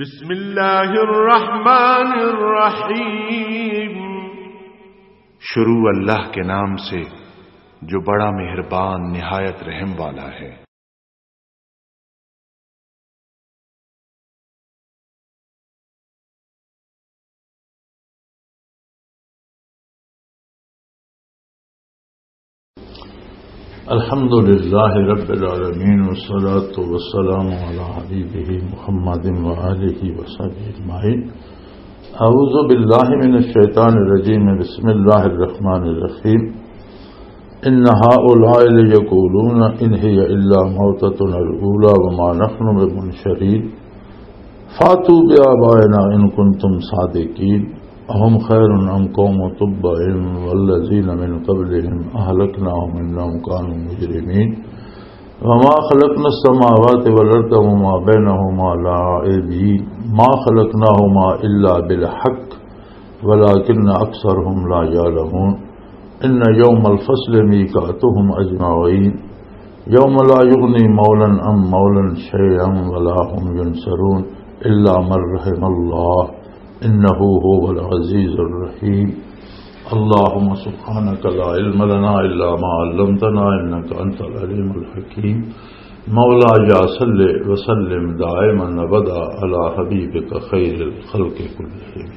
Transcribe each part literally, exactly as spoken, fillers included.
بسم اللہ الرحمن الرحیم۔ شروع اللہ کے نام سے، جو بڑا مہربان، نہایت رحم والا ہے۔ الحمد لله رب العالمين، والصلاة والسلام على حبيبه محمد وآله وصحبه أجمعين. أعوذ بالله من الشيطان الرجيم. بسم الله الرحمن الرحيم. إن هؤلاء ليقولون إن هي إلا موتتنا الأولى وما نحن بمنشرين. فأتوا بآبائنا إن كنتم صادقين. أهم خير أم قوم تبع والذين من قبلهم أهلكناهم إنهم كانوا مجرمين. وما خلقنا السماوات والأرض وما بينهما لاعبين. ما خلقناهما إلا بالحق ولكن أكثرهم لا يعلمون. إن يوم الفصل ميقاتهم أجمعين. يوم لا يغني مولى عن مولى شيئا ولا هم ينصرون إلا من رحم الله إنه هو العزيز الرحيم. اللهم سبحانك لا علم لنا إلا ما علمتنا إنك أنت العليم الحكيم. مولاي صل وسلم دائما أبدا على حبيبك خير الخلق كلهم.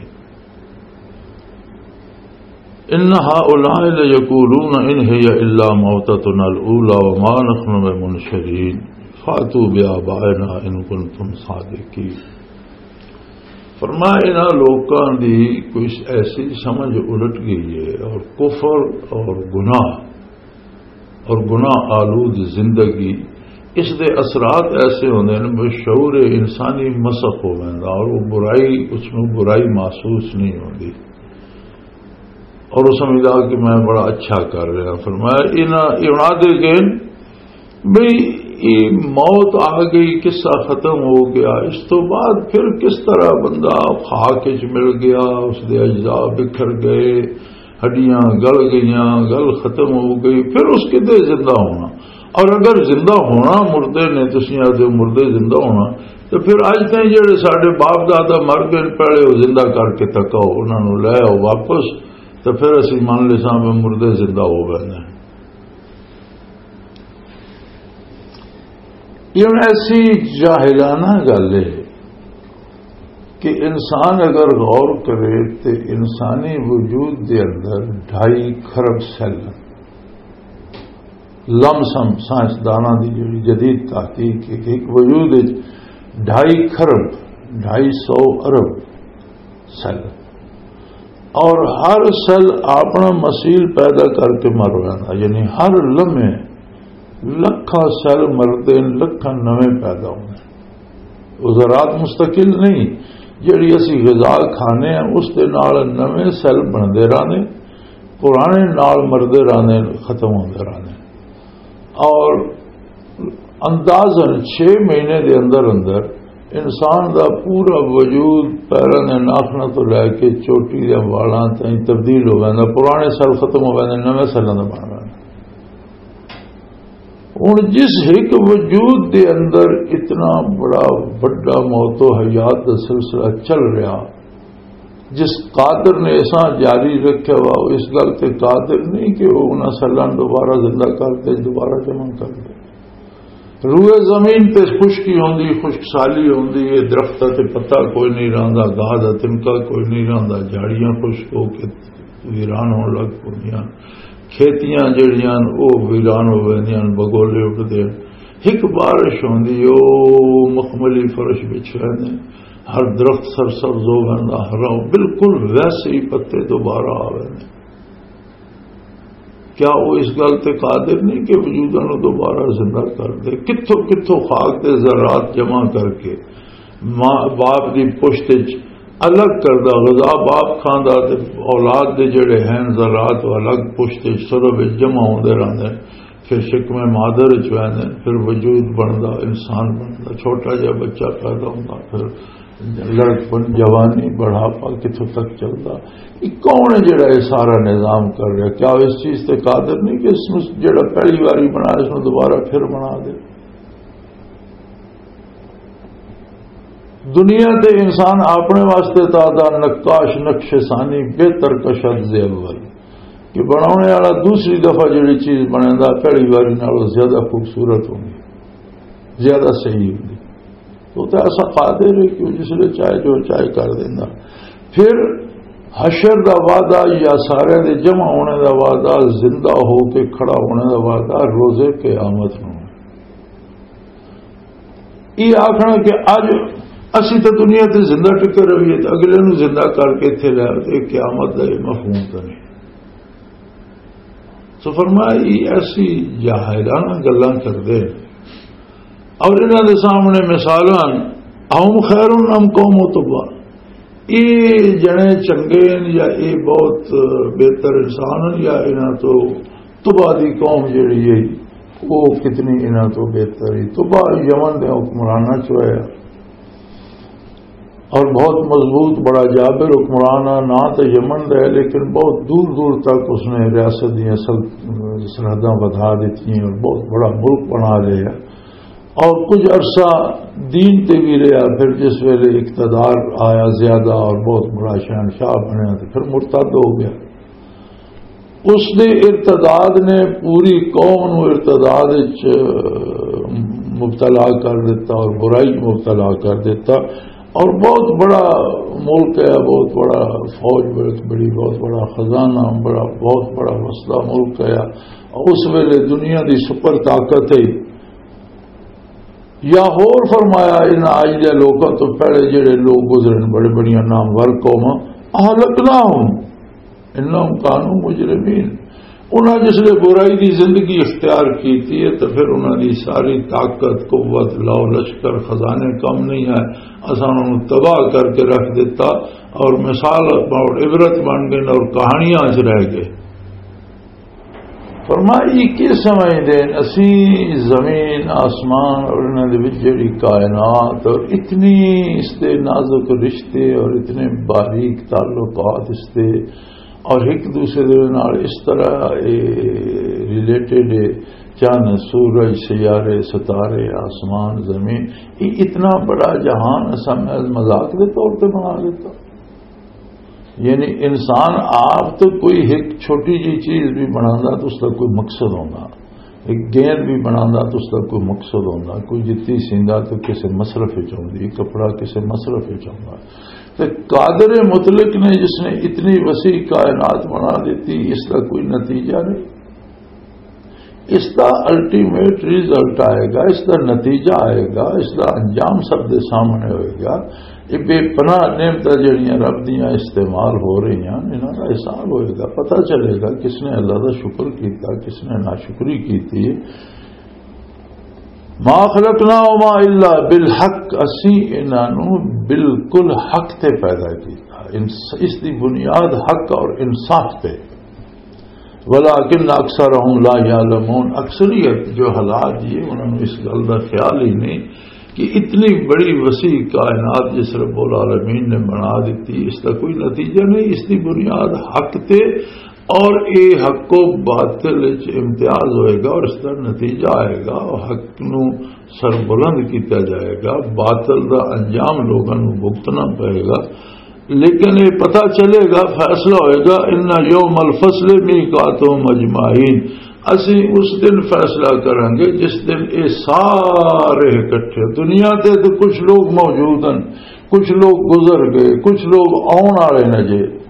إن هؤلاء ليقولون إن هي إلا موتتنا الأولى وما نحن بمنشرين. فأتوا بآبائنا إن كنتم صادقين. فرمایا، انہاں لوکاں دی کوئی ایسی سمجھ الٹ گئی ہے، اور کفر اور گناہ اور گناہ آلود زندگی، اس دے اثرات ایسے ہوندے نے، بشعور انسانی مسخ ہو ویندا، اور وہ برائی، اس میں برائی محسوس نہیں ہوندی، اور وہ سمجھدا کہ میں بڑا اچھا کر رہا۔ فرمایا، انہاں، یہ انہاں دے گئے بھئی، یہ موت آ گئی، قصہ ختم ہو گیا، اس تو بعد پھر کس طرح بندہ خاک وچ مل گیا، اس دے اجزاء بکھر گئے، ہڈیاں گل گئیاں، گل ختم ہو گئی، پھر اس کدے زندہ ہونا؟ اور اگر زندہ ہونا مردے نے، تسیں آدھے مردے زندہ ہونا، تو پھر اج تائیں جڑے ساڈے باپ دادا مر گئے، پہلے وہ زندہ کر کے تکاؤ، انہاں نوں لے آؤ واپس، تو پھر اسی من لساں بھی مردے زندہ ہو گئے نے۔ یہ ہن ایسی جاہلانہ گل ہے کہ انسان اگر غور کرے تو انسانی وجود دے اندر ڈھائی کھرب سیل ہیں۔ لم سم سائنسداناں دی جڑی جدید تحقیق ہے کہ ایک وجود وچ ڈھائی کھرب، ڈھائی سو ارب سیل، اور ہر سیل اپنا مثیل پیدا کر کے مر رہا، یعنی ہر لمحے لکھاں سیل مردے نے، لکھاں نویں پیدا ہوندے۔ وہ ذرات مستقل نہیں، جڑی اسی غذا کھانے ہیں، اس دے نال نویں سیل بندے رہندے، پرانے نال مردے رہندے، ختم ہوندے رہندے۔ اور اندازاً چھ مہینے دے اندر اندر انسان دا پورا وجود، پیراں دے ناخناں تو لے کے چوٹی دے والاں تائیں تبدیل ہو ویندا، پرانے سیل ختم ہو ویندے، نویں سیلاں دا بن ویندا۔ ہن جس ایک وجود دے اندر اتنا بڑا وڈا موت و حیات دا سلسلہ چل رہا، جس قادر نے ایسا جاری رکھیا ہوا، وہ اس گل تے قادر نہیں کہ وہ انہاں سیلاں دوبارہ زندہ کر دے، دوبارہ جمع کر دے۔ روئے زمین تے خشکی ہوندی، خشک سالی ہوندی ہے، درخت تے پتہ کوئی نہیں رہندا، گاہ دا تنکا کوئی نہیں رہندا، جھاڑیاں خشک ہو کے ویران ہون لگ پوندیاں، کھیتیاں جڑیاں او ویران ہو ویندیاں، بگولے اٹھدے۔ ایک بارش ہوندی، او مخملی فرش بچھ ویندے، ہر درخت سرسبز ہو ویندا، ہرا، بالکل ویسے ہی پتے دوبارہ آ ویندے۔ کیا وہ اس گل تے قادر نہیں کہ وجوداں نوں دوبارہ زندہ کر دے؟ کتھوں کتھوں خاک دے ذرات جمع کر کے ماں باپ دی پشت وچ الگ کردا، غذا باپ کھاندا تے اولاد دے جڑے ہیں ذرات، وہ الگ پشت وچ سرب وچ جمع ہوندے رہندے۔ پھر شکم مادر وچ ویندے، پھر وجود بندا، انسان بندا، چھوٹا جہا بچہ پیدا ہوندا، پھر لڑکپن، جوانی، بڑھاپا کتھوں تک چلدا۔ یہ کون ہے جڑا یہ سارا نظام کر رہا؟ کیا وہ اس چیز تے قادر نہیں کہ اس میں جڑا پہلی واری بنایا، اس میں دوبارہ پھر بنا دے؟ دنیا تے انسان اپنے واسطے تا دا نقاش، نقش ثانی، بہتر کشد زی اول، کہ بناونے والا دوسری دفعہ جڑی چیز بنیندا، پہلی واری نالوں زیادہ خوبصورت ہوندی، زیادہ صحیح ہوندی۔ تو تے ایسا قادر ہے کہ جس لے چاہے جو چاہے کر دیندا۔ پھر حشر دا وعدہ یا سارے دے جمع ہونے دا وعدہ، زندہ ہو کے کھڑا ہونے دا وعدہ روزے قیامت نوں۔ یہ آخنا کہ اج اسی تو دنیا تے زندہ ٹکے رہیے، تو اگلے نوں زندہ کر کے اتھے لے آؤ، تے قیامت دا یہ مفہوم تو نہیں۔ سو فرمایا، یہ ایسی جاہلانہ گلاں کردے اور انہاں دے سامنے مثالاں، اہم خیر ام قوم تبع، یہ جنے چنگے ہیں یا یہ بہت بہتر انسان ہیں یا انہاں تو تبع دی قوم جڑی ہے، وہ کتنی انہاں تو بہتر ہے؟ تبع یمن دے حکمراناں چ ہویا۔ اور بہت مضبوط، بڑا جابر حکمران ہے، نہ تو یمن دا ہے، لیکن بہت دور دور تک اس نے ریاست دیاں سل-، سرحداں ودھا دیتی ہیں اور بہت بڑا ملک بنا لیا۔ اور کچھ عرصہ دین تے بھی رہا، پھر جس ویلے اقتدار آیا زیادہ اور بہت بڑا شہنشاہ بنیا، تو پھر مرتد ہو گیا۔ اس دے ارتداد نے پوری قوم نو ارتداد وچ مبتلا کر دیتا اور برائی مبتلا کر دیتا۔ اور بہت بڑا ملک ہے، بہت بڑا فوج، بڑی، بڑی، بہت بڑا خزانہ، بڑا، بہت بڑا وسدا ملک ہے۔ اس ویلے دنیا دی سپر طاقت ہے۔ یا ہور فرمایا، انہاں آج دے لوکاں تو پہلے جڑے لوگ گزرے نے، بڑے بڑیاں نامور قوماں، اہلکناہم انہم کانوا مجرمین۔ انہاں جس لے برائی دی زندگی اختیار کیتی ہے، تو پھر انہاں دی ساری طاقت، قوت، لاؤ لشکر، خزانے کم نہیں آئے، اساں انہاں نوں تباہ کر کے رکھ دیتا اور مثال اور عبرت بن گئے اور کہانیاں وچ رہ گئے۔ فرمایا، یہ کی سمجھدے ہیں؟ اسی زمین، آسمان اور انہاں دے وچ جڑی کائنات اور اتنی اس دے نازک رشتے اور اتنے باریک تعلقات اس دے اور ایک دوسرے دے نال اس طرح ریلیٹڈ ہے، چند، سورج، سیارے، ستارے، آسمان، زمین، یہ اتنا بڑا جہان اساں میں مذاق دے طور تے بنا دیتا۔ یعنی انسان آپ تو کوئی ایک چھوٹی جی چیز بھی بنانا تو اس کا کوئی مقصد ہونا، ایک گیند بھی بنانا تو اس کا کوئی مقصد ہونا، کوئی جتی سیندا تو کسی مصرف وچ ہوندی، کپڑا کسی مصرف وچ ہونا۔ تو قادر مطلق نے جس نے اتنی وسیع کائنات بنا دیتی، اس کا کوئی نتیجہ نہیں۔ اس دا الٹیمیٹ رزلٹ آئے گا، اس دا نتیجہ آئے گا، اس دا انجام سب دے سامنے ہوئے گا۔ یہ بے پناہ نعمتاں جڑیاں رب دیاں استعمال ہو رہی ہیں، انہاں دا حساب ہوئے گا، پتہ چلے گا کس نے اللہ دا شکر کیتا، کس نے ناشکری کیتی۔ ما خلقناہما الا بالحق، اسی انہاں نوں بالکل حق تے پیدا کیتا۔ انس-، اس دی بنیاد حق اور انصاف تے۔ ولکن اکثرہم لا یعلمون، اکثریت جو حالات یہ، انہوں نے اس گل دا خیال ہی نہیں کہ اتنی بڑی وسیع کائنات جس رب العالمین نے بنا دیتی، اس کا کوئی نتیجہ نہیں، اس کی بنیاد حق تے، اور اے حق و باطل وچ امتیاز ہوئے گا اور اس کا نتیجہ آئے گا، حق نو سربلند کیتا جائے گا، باطل دا انجام لوگاں نو بھگتنا پئے گا۔ لیکن یہ پتہ چلے گا، فیصلہ ہوئے گا، ان یوم الفصل میقاتہم اجمعین، اسی اس دن فیصلہ کریں گے جس دن یہ سارے اکٹھے، دنیا تے تو کچھ لوگ موجود ہیں، کچھ لوگ گزر گئے، کچھ لوگ آن والے نے جے۔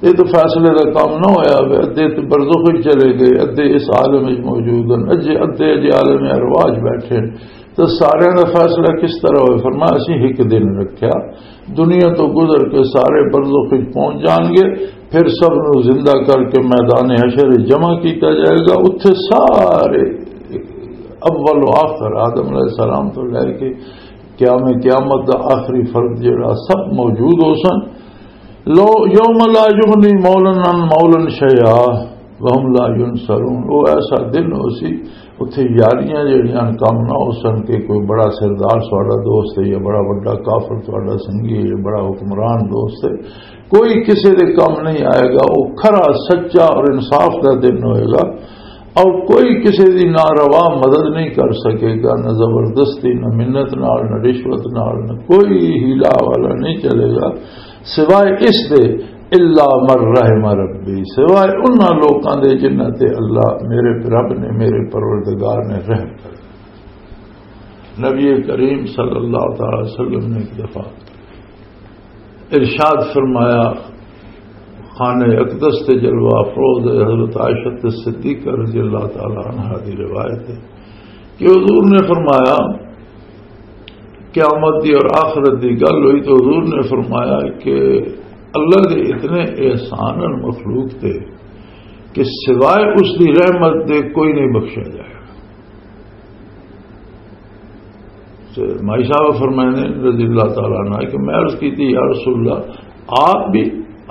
یہ تو فیصلے کا کام نہ ہویا ہوئے، ادھے تو برزخ وچ چلے گئے، ادھے اس عالم وچ موجود ہیں، اجے ادھے اجے عالم ارواح وچ بیٹھے ہیں۔ تو سارے دا فیصلہ کس طرح ہوئے؟ فرمایا، اسی ایک دن رکھیا، دنیا تو گزر کے سارے برزخ وچ پہنچ جان گے، پھر سب نو زندہ کر کے میدان حشر وچ جمع کیتا جائے گا۔ اتھے سارے، اول و آخر، آدم علیہ السلام تو لے کے قیام قیامت دا آخری فرد جڑا، سب موجود ہو سن۔ لو، یوم لا یغنی مولا عن مولا شیئا وهم لا ینصرون۔ وہ ایسا دن ہو سی، اتھے یاریاں جڑیاں کم نہ ہو سن کہ کوئی بڑا سردار تہاڈا دوست ہے یا بڑا وڈا کافر تہاڈا سنگی ہے یا بڑا حکمران دوست ہے، کوئی کسے دے کم نہیں آئے گا۔ وہ کھرا، سچا اور انصاف دا دن ہوئے گا۔ اور کوئی کسی دی ناروا مدد نہیں کر سکے گا، نہ زبردستی، نہ منت نال، نہ رشوت نال، نہ کوئی ہیلا والا نہیں چلے گا، سوائے اس دے، الا من رحم ربی، سوائے انہاں لوکاں دے جنہاں تے اللہ میرے رب نے، میرے پروردگار نے رحم کر۔ نبی کریم صلی اللہ تعالی وسلم نے ایک دفعہ ارشاد فرمایا، خانہ اقدس تے جلوہ افروز حضرت عائشہ صدیقہ رضی اللہ تعالی عنہا دی روایت ہے کہ حضور نے فرمایا، قیامت دی اور آخرت دی گل ہوئی تو حضور نے فرمایا کہ اللہ دے اتنے احسان اور مخلوق تے کہ سوائے اس دی رحمت دے کوئی نہیں بخشا جائے گا۔ تے مائی صاحب فرمائے نے رضی اللہ تعالیٰ عنہ کہ میں عرض کی تھی، یا رسول اللہ، آپ بھی،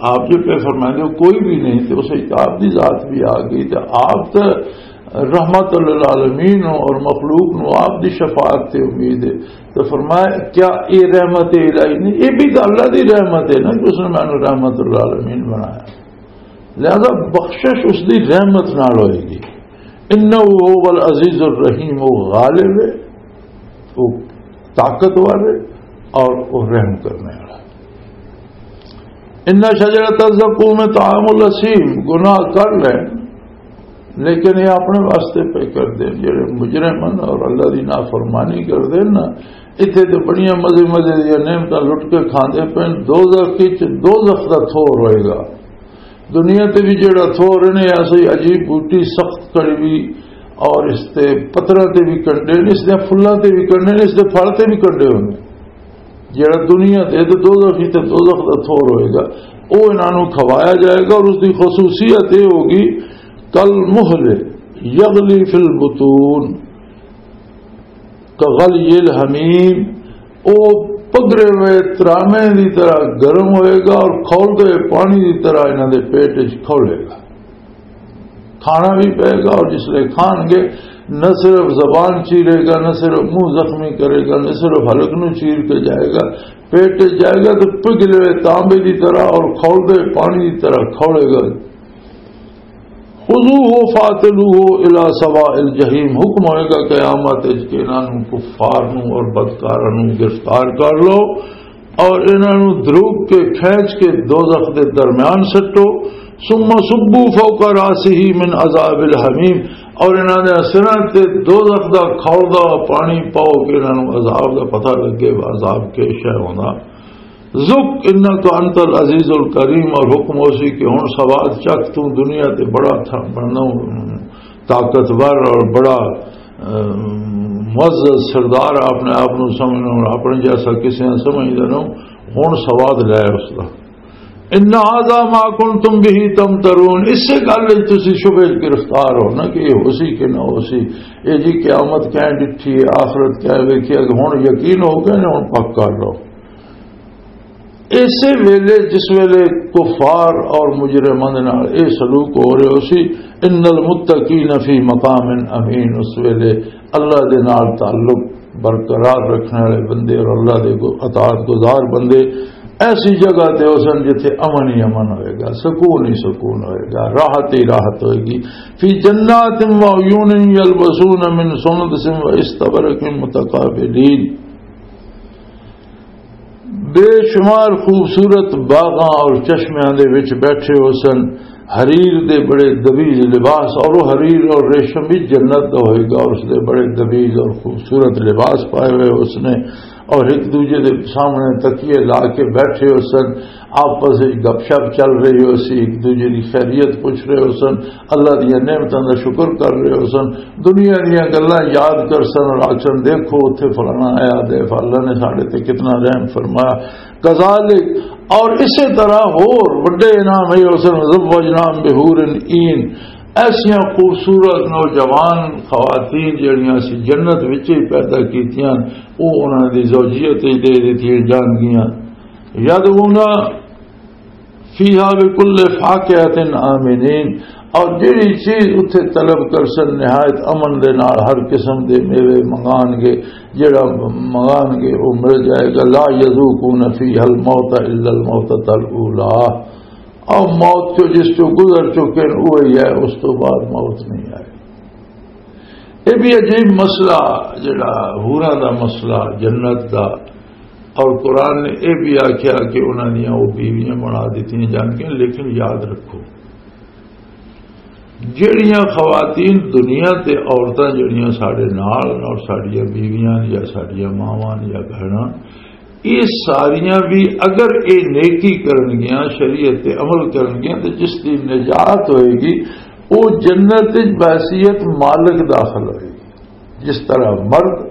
آپ جو پہ فرمائے نے کوئی بھی نہیں، تو اسے آپ دی ذات بھی آ گئی، تو آپ تو رحمت للعالمین ہو اور مخلوق نو آپ دی شفاعت تے امید ہے۔ تو فرمایا، کیا یہ رحمت الہی نہیں؟ یہ بھی تو اللہ دی رحمت ہے نا کہ اس نے مینوں رحمت للعالمین بنایا۔ لہذا بخشش اس دی رحمت نال ہوئے گی۔ انہ هو العزیز الرحیم، وہ غالب ہے، وہ طاقتور ہے اور وہ رحم کرنے والا۔ ان شجرۃ الزقوم طعام الاسیم، گناہ کر لیں لیکن یہ اپنے واسطے پہ کر دیں۔ جڑے مجرم ہیں اور اللہ دی نافرمانی کر دیں نا، اتھے تے بڑیاں مزے مزے دیاں نعمتاں لٹ کے کھاندے پے، دوزخ وچ دوزخ دا تھور ہوئے گا۔ دنیا تے بھی جڑا تھور نے ایسے ہی عجیب بوٹی، سخت کڑوی، اور اس تے پتراں تے بھی کنڈے نے، اس دے پھلاں تے بھی کنڈے نے، اس دے پھل تے بھی کنڈے ہونے۔ جڑا دنیا تے تے دوزخ ہی تے دوزخ دا تھور ہوئے گا، او انہاں نوں کھوایا جائے گا اور اس دی خصوصیت یہ ہوگی، کل مہل یغلی فی البطون، کغلی الحمیم، او پگرے ہوئے ترامے دی طرح گرم ہوئے گا اور کھولدے پانی دی طرح انہاں دے پیٹ وچ کھولے گا۔ کھانا بھی پے گا اور جس لئے کھان گے، نہ صرف زبان چیرے گا، نہ صرف منہ زخمی کرے گا، نہ صرف حلق نو چیر کے جائے گا، پیٹ وچ جائے گا تو پگھلے ہوئے تانبے دی طرح اور کھولدے پانی دی طرح کھولے گا۔ خذوہ فاعتلوہ الی سواء الجحیم، حکم ہوئے گا قیامت وچ کہ انہاں نوں، کفار نوں اور بدکاراں نوں گرفتار کر لو اور انہاں نوں دروگ کے کھینچ کے دوزخ دے درمیان سٹو۔ ثم صبوا فوق راسہ من عذاب الحمیم، اور انہاں دے سراں تے دوزخ دا کھولدا پانی پاؤ کہ انہاں نوں عذاب دا پتہ لگے، عذاب کے شے ہوندا۔ ذق انک انت العزیز الکریم، اور حکم ہو سی کہ ہن سواد چکھ، تو دنیا تے بڑا تھا، بڑا طاقتور اور بڑا، اہ، معزز سردار اپنے آپ نو سمجھنا، اور اپنے جیسا کسی نے سمجھدے نو، ہن سواد لے اس دا۔ ان ھذا ما کنتم بہ تمترون، اسے گل وچ تسی شبہے وچ گرفتار ہو نا کہ یہ ہو سی کہ نہ ہو سی، یہ جی قیامت کہیں ڈٹھی ہے، آخرت کہیں ویکھی ہے، کہ ہن یقین ہو گئے نے، ہن پک کر لو۔ ایسے ویلے جس ویلے کفار اور مجرماں دے نال اے سلوک ہو رہے ہو سی، ان المتقین فی مقام امین، اس ویلے اللہ دے نال تعلق برقرار رکھنے والے بندے اور اللہ دے گو-، اطاعت گزار بندے ایسی جگہ تے ہو سن جتھے امن ہی امن ہوئے گا، سکون ہی سکون ہوئے گا، راحت ہی راحت ہوئے گی۔ فی جنات و عیون یلبسون من سندس و استبرق متقابلین۔ بے شمار خوبصورت باغاں اور چشمیاں دے وچ بیٹھے ہو سن، حریر دے بڑے دبیج لباس، اور وہ حریر اور ریشم بھی جنت دا ہوئے گا، اور اس دے بڑے دبیج اور خوبصورت لباس پائے ہوئے اس نے، اور ایک دوجے دے سامنے تکیے لا کے بیٹھے ہو سن، آپس وچ گپ شپ چل رہی ہو سی، ایک دوجے دی خیریت پوچھ رہے ہو سن، اللہ دیاں نعمتاں دا شکر کر رہے ہو سن، دنیا دیاں گلاں یاد کر سن اور آکھن، "دیکھو، اتھے فلانا آیا دے، اللہ نے ساڈے تے کتنا رحم فرمایا۔" کذالک، اور اسی طرح ہور وڈے انعام ہے، اس نے زوجناہم بحور عین، ایسیاں خوبصورت نوجوان خواتین جڑیاں سی جنت وچ ہی پیدا کیتیاں، او انہاں دی زوجیت وچ دے دتیاں جان گیاں۔ یدعون فیہا بکل فاکہۃ آمنین، اور جڑی چیز اتھے طلب کر سن نہایت امن دے نال ہر قسم دے میوے منگان گے، جڑا منگان گے وہ مل جائے گا۔ لا یذوقون فیہا الموت الا الموتۃ الاولی، اور موت چو جس چو گزر چکے ہیں وہی ہے، اس تو بعد موت نہیں آئے۔ یہ بھی عجیب مسئلہ، جڑا حوراں دا مسئلہ، جنت دا۔ اور قرآن نے یہ بھی آخیا کہ انہاں دیاں وہ بیویاں بنا دتیاں جان گیاں، لیکن یاد رکھو، جڑیاں خواتین دنیا تے عورتاں جڑیاں ساڈے نال اور ساڈیاں بیویاں یا ساڈیاں ماواں یا بہناں، یہ ساریاں بھی اگر یہ نیکی کرن گیاں، شریعت تے عمل کرن گیاں، تے جس دی نجات ہوئے گی، وہ جنت وچ بحیثیت مالک داخل ہوئے گی۔ جس طرح مرد،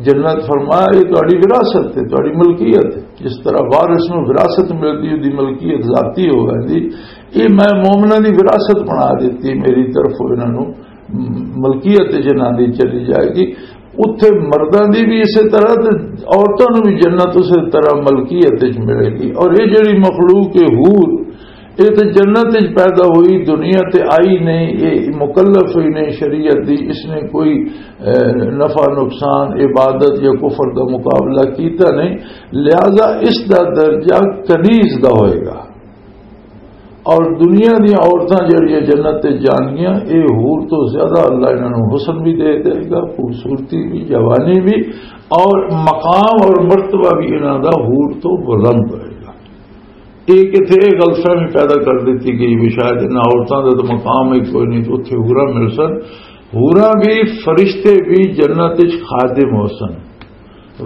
جنت فرمایا، یہ تہاڈی وراثت ہے، تہاڈی ملکیت ہے۔ جس طرح وارث نوں وراثت ملدی، اودی ملکیت ذاتی ہو ویندی، یہ میں مومناں دی وراثت بنا دتی، میری طرفوں انہاں نوں ملکیت جنہاں دی چلی جائے گی۔ اتھے مرداں دی بھی اسی طرح تے عورتاں نوں بھی جنت اسی طرح ملکیت وچ ملے گی۔ اور یہ جڑی مخلوق ہے حور، یہ تے جنت وچ پیدا ہوئی، دنیا تے آئی نہیں، یہ مکلف ہوئی نہیں شریعت دی، اس نے کوئی، اے، نفع نقصان، عبادت یا کفر دا مقابلہ کیتا نہیں، لہذا اس دا درجہ کنیز دا ہوئے گا۔ اور دنیا دیاں عورتاں جڑیاں جنت تے جان گیاں، اے حور تو زیادہ اللہ انہاں نوں حسن بھی دے دے گا، خوبصورتی بھی، جوانی بھی، اور مقام اور مرتبہ بھی انہاں دا حور تو بلند ہوئے گا۔ ایک اتھے یہ غلط فہمی پیدا کر دیتی گئی بھی شاید انہاں عورتاں دا تو مقام ہی کوئی نہیں، تو اتھے حوراں مل سن۔ حوراں بھی، فرشتے بھی جنت وچ خادم ہو سن،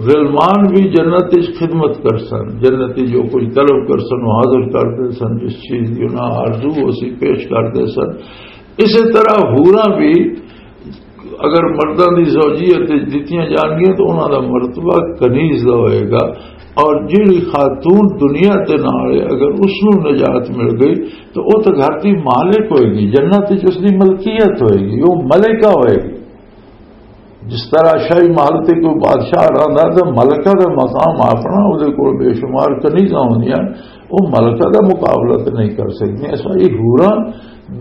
غلمان بھی جنت وچ خدمت کر سن، جنت وچ جو کچھ طلب کر سن، وہ حاضر کر دے سن، جس چیز دی انہاں آرزو ہو سی پیش کر دے سن۔ اسی طرح حوراں بھی اگر مرداں دی زوجیت وچ دتیاں جان گیاں تو انہاں دا مرتبہ کنیز دا ہوئے گا۔ اور جیڑی خاتون دنیا تے نال ہے، اگر اس نوں نجات مل گئی تو وہ تو گھر دی مالک ہوئے گی، جنت وچ اس دی ملکیت ہوئے گی، وہ ملکہ ہوئے گی۔ جس طرح شاہی محل تے کوئی بادشاہ رہندا تے ملکہ دا مقام اپنا، اودے کول بے شمار کنیزاں ہوندیاں، وہ ملکہ دا مقابلہ تے نہیں کر سکدی۔ ایسا ہی حوراں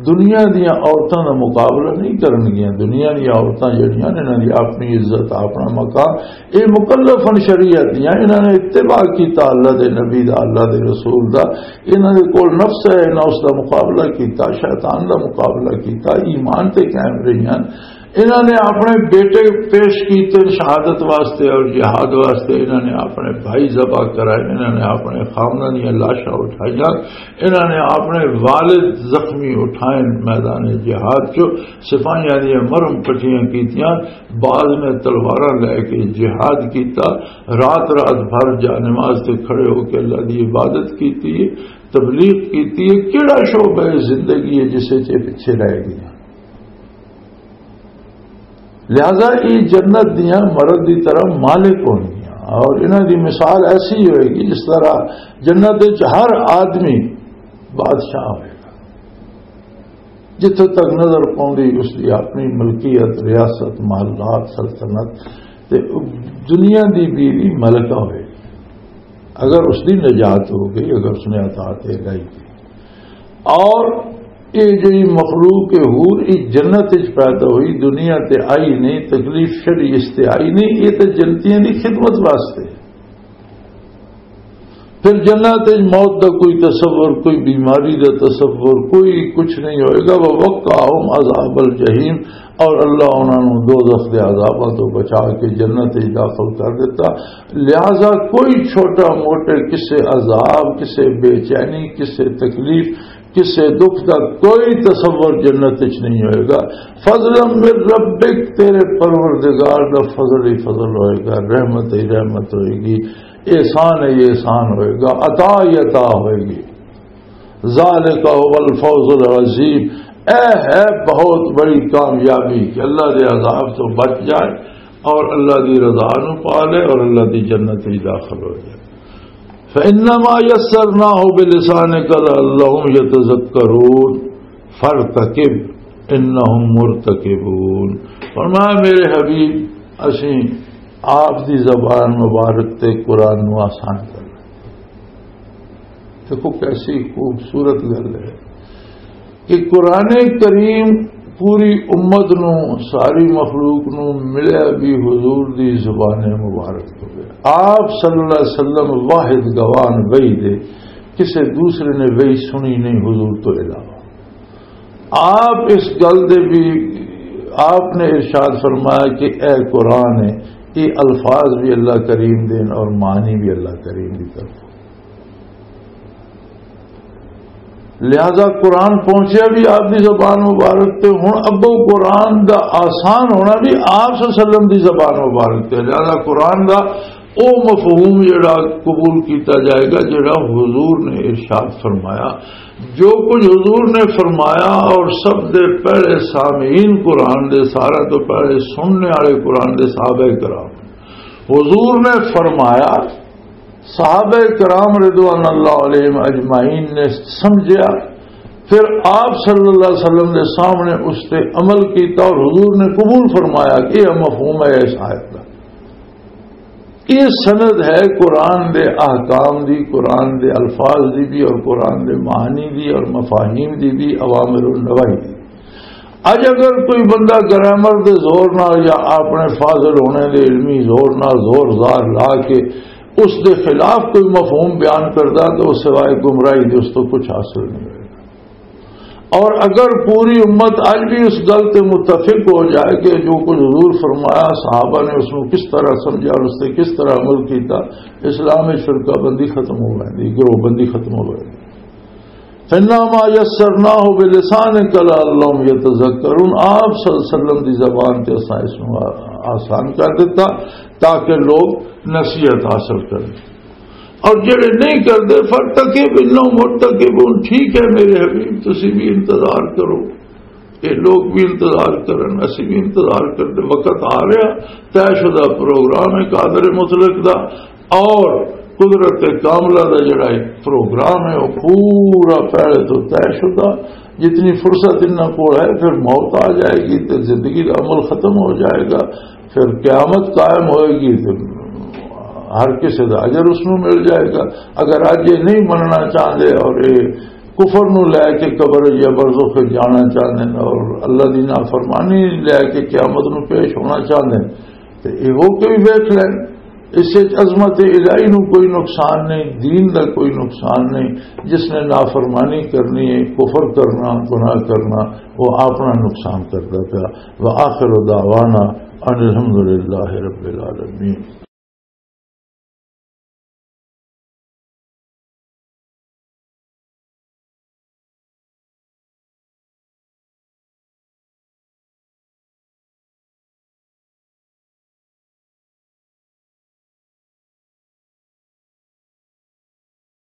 دنیا دیاں عورتاں دا مقابلہ نہیں کرن گیاں۔ دنیا دیاں عورتاں جڑیاں نے، انہاں دی اپنی عزت، اپنا مقام، یہ مکلفن شریعت دیاں، انہاں نے اتباع کیتا اللہ دے نبی دا، اللہ دے رسول دا۔ انہاں دے کول نفس ہے، انہاں اس دا مقابلہ کیتا، شیطان دا مقابلہ کیتا، ایمان تے قائم رہیاں۔ انہاں نے اپنے بیٹے پیش کیتے شہادت واسطے اور جہاد واسطے، انہاں نے اپنے بھائی ذبح کرائے، انہاں نے اپنے خامداں دیاں لاشاں اٹھائیاں، انہاں نے اپنے والد زخمی اٹھائے میدان جہاد چ، سپاہیاں دیاں مرم کٹیاں کیتیاں، بعض نے تلواراں لے کے جہاد کیتا، رات رات بھر جا نماز تے کھڑے ہو کے اللہ دی عبادت کیتی ہے، تبلیغ کیتی ہے۔ کیڑا شعبہ ہے زندگی ہے جس وچ یہ پیچھے رہ گئے؟ لہذا یہ جنت دیاں مرد دی طرح مالک ہونگیاں، اور انہاں دی مثال ایسی ہوئے گی جس طرح جنت وچ ہر آدمی بادشاہ ہوئے گا۔ جتھے تک نظر پاؤندی اس دی اپنی ملکیت، ریاست، محلات، سلطنت، تے دنیا دی بیوی ملکہ ہوئے گی۔ اگر اس دی نجات ہو گئی، اگر اس نے اطاعت الہی کی۔ اور یہ جڑی مخلوق ہے حور، یہ جنت وچ پیدا ہوئی، دنیا تے آئی نہیں، تکلیف شری اس تے آئی نہیں، یہ تے جنتیاں دی خدمت واسطے۔ پھر جنت وچ موت دا کوئی تصور، کوئی بیماری دا تصور، کوئی کچھ نہیں ہوئے گا۔ وَوَقَّاهُمْ عَذَابَ الْجَحِيمِ، اور اللہ انہاں نوں دوزخ دے عذاباں تو بچا کے جنت وچ داخل کر دیتا۔ لہذا کوئی چھوٹا موٹے کسے عذاب، کسے بے چینی، کسے تکلیف، کسے دکھ دا کوئی تصور جنت وچ نہیں ہوئے گا۔ فضلا من ربک، تیرے پروردگار دا فضل ہی فضل ہوئے گا، رحمت ہی رحمت ہوئے گی، احسان ہی احسان ہوئے گا، عطا ہی عطا ہوئے گی۔ ذالک هو الفوز العظیم، اے ہے بہت بڑی کامیابی کہ اللہ دے عذاب تو بچ جائے اور اللہ دی رضا نو پا لے اور اللہ دی جنت وچ داخل ہو جائے۔ فَإِنَّمَا يَسَّرْنَاهُ بِلِسَانِكَ لَعَلَّهُمْ يَتَذَكَّرُونَ فَارْتَقِبْ إِنَّهُمْ مُرْتَقِبُونَ۔ فرمایا، میرے حبیب، اسیں آپ دی زبان مبارک تے قرآن نو آسان کر لیا۔ دیکھو کیسی خوبصورت گل ہے کہ قرآن کریم پوری امت نو، ساری مخلوق نو ملیا بھی حضور دی زبان مبارک تو۔ آپ صلی اللہ علیہ وسلم واحد گواہ وحی دے، کسے دوسرے نے وحی سنی نہیں حضور تو علاوہ۔ آپ اس گل دے بھی آپ نے ارشاد فرمایا کہ اے قرآن ہے، یہ الفاظ بھی اللہ کریم دے اور معنی بھی اللہ کریم دی طرف۔ لہذا قرآن پہنچیا بھی آپ دی زبان مبارک تے، ہن اگوں قرآن دا آسان ہونا بھی آپ صلی اللہ علیہ وسلم دی زبان مبارک تے۔ لہذا قرآن دا او مفہوم جڑا قبول کیتا جائے گا جڑا حضور نے ارشاد فرمایا۔ جو کچھ حضور نے فرمایا اور سب دے پہلے سامعین قرآن دے، سارے تو پہلے سننے والے قرآن دے صحابہ کرام، حضور نے فرمایا، صحابہ کرام رضوان اللہ علیہم اجمعین نے سمجھیا، پھر آپ صلی اللہ علیہ وسلم نے سامنے اس تے عمل کیتا اور حضور نے قبول فرمایا کہ یہ مفہوم ہے اس آیت کا۔ یہ سند ہے قرآن دے احکام دی، قرآن دے الفاظ دی بھی اور قرآن دے معانی دی اور مفاہیم دی بھی، اوامر و نواہی دی۔ اج اگر کوئی بندہ گرامر دے زور نال یا اپنے فاضل ہونے دے علمی زور نال زور زار لا کے اس دے خلاف کوئی مفہوم بیان کردا تو سوائے گمراہی دے اس تو کچھ حاصل نہیں ہوئے گا۔ اور اگر پوری امت اج بھی اس گل تے متفق ہو جائے کہ جو کچھ حضور فرمایا، صحابہ نے اس کو کس طرح سمجھا اور اس سے کس طرح عمل کیتا، اسلام میں فرقہ بندی ختم ہو گئی، گروہ بندی ختم ہو گئی۔ فَإِنَّمَا يَسَّرْنَاهُ بِلِسَانِكَ لَعَلَّهُمْ يَتَذَكَّرُونَ۔ آپ صلی اللہ علیہ وسلم دی زبان تے اساں اس نوں آ-، آسان کر دیتا تاکہ لوگ نصیحت حاصل کریں۔ اور جڑے نہیں کردے، فَارْتَقِبْ إِنَّهُمْ مُرْتَقِبُونَ، ٹھیک ہے میرے حبیب، تسی بھی انتظار کرو، یہ لوگ بھی انتظار کرن، اسی بھی انتظار کرتے۔ وقت آ رہا، طے شدہ پروگرام ہے قادر مطلق دا، اور قدرت کاملہ دا جڑا ایک پروگرام ہے، وہ پورا پہلے تو طے شدہ۔ جتنی فرصت انہاں کول ہے، پھر موت آ جائے گی تے زندگی دا عمل ختم ہو جائے گا، پھر قیامت قائم ہوئے گی تے ہر کسی دا اجر اس نوں مل جائے گا۔ اگر اج یہ نہیں مننا چاہتے اور یہ کفر نوں لے کے قبر یا برزخ وچ جانا چاہتے ہیں اور اللہ دی نافرمانی لے کے قیامت نوں پیش ہونا چاہتے ہیں، تے ایہو کوئی ویکھ لین۔ اس وچ عظمت الہی نو کوئی نقصان نہیں، دین دا کوئی نقصان نہیں۔ جس نے نافرمانی کرنی ہے، کفر کرنا، گناہ کرنا، وہ اپنا نقصان کردا پیا۔ وآخر دعوانا ان الحمد للہ رب العالمین۔